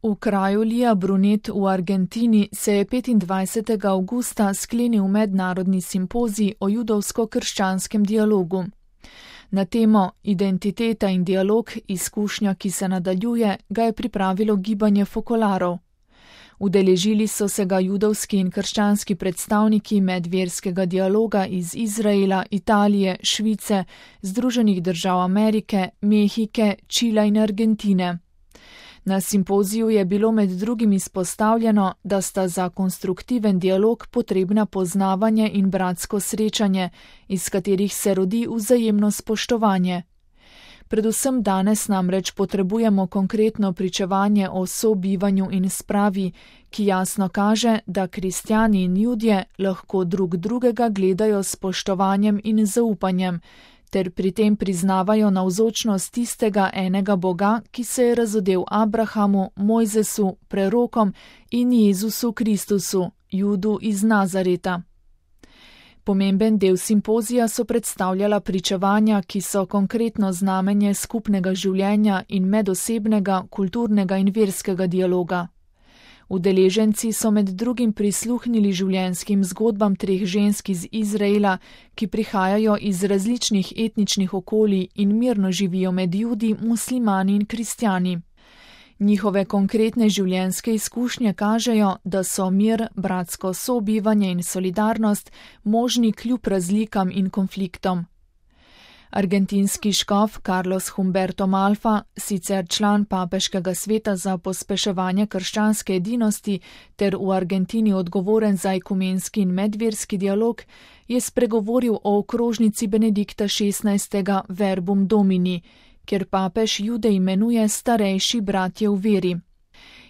V kraju Lija Brunet v Argentini se je 25. avgusta sklenil mednarodni simpozij o judovsko-krščanskem dialogu. Na temo Identiteta in dialog, izkušnja, ki se nadaljuje, ga je pripravilo gibanje Fokolarov. Udeležili so se ga judovski in krščanski predstavniki medverskega dialoga iz Izraela, Italije, Švice, Združenih držav Amerike, Mehike, Čila in Argentine. Na simpoziju je bilo med drugim izpostavljeno, da sta za konstruktiven dialog potrebna poznavanje in bratsko srečanje, iz katerih se rodi vzajemno spoštovanje. Predvsem danes namreč potrebujemo konkretno pričevanje o sobivanju in spravi, ki jasno kaže, da kristjani in judje lahko drug drugega gledajo s spoštovanjem in zaupanjem, ter pri tem priznavajo navzočnost tistega enega Boga, ki se je razodel Abrahamu, Mojzesu, prerokom in Jezusu Kristusu, Judu iz Nazareta. Pomemben del simpozija so predstavljala pričevanja, ki so konkretno znamenje skupnega življenja in medosebnega, kulturnega in verskega dialoga. Udeleženci so med drugim prisluhnili življenjskim zgodbam 3 žensk iz Izraela, ki prihajajo iz različnih etničnih okolij in mirno živijo med Judi, muslimani in kristjani. Njihove konkretne življenjske izkušnje kažejo, da so mir, bratsko sobivanje in solidarnost možni kljub razlikam in konfliktom. Argentinski škof Carlos Humberto Malfa, sicer član papeškega sveta za pospeševanje krščanske edinosti ter v Argentini odgovoren za ekumenski in medverski dialog, je spregovoril o okrožnici Benedikta XVI. Verbum Domini, kjer papež Jude imenuje starejši bratje v veri.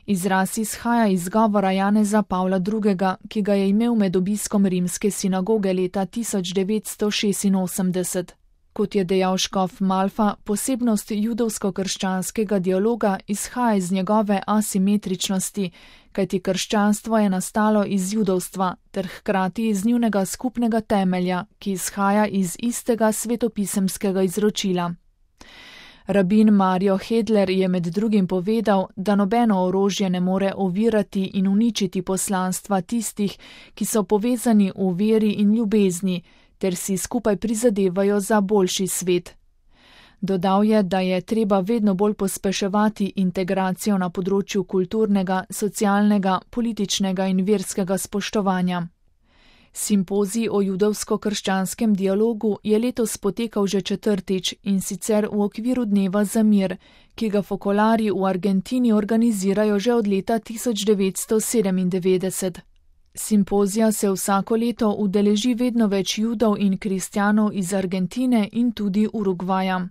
Izraz izhaja iz govora Janeza Pavla II., ki ga je imel med obiskom rimske sinagoge leta 1986. Kot je dejal škof Malfa, posebnost judovsko-krščanskega dialoga izhaja iz njegove asimetričnosti, kajti krščanstvo je nastalo iz judovstva ter hkrati iz njunega skupnega temelja, ki izhaja iz istega svetopisemskega izročila. Rabin Mario Hedler je med drugim povedal, da nobeno orožje ne more ovirati in uničiti poslanstva tistih, ki so povezani v veri in ljubezni, ter si skupaj prizadevajo za boljši svet. Dodal je, da je treba vedno bolj pospeševati integracijo na področju kulturnega, socialnega, političnega in verskega spoštovanja. Simpozij o judovsko-krščanskem dialogu je letos potekal že 4. in sicer v okviru Dneva za mir, ki ga Fokolari v Argentini organizirajo že od leta 1997. Simpozija se vsako leto udeleži vedno več Judov in kristjanov iz Argentine in tudi Urugvaja.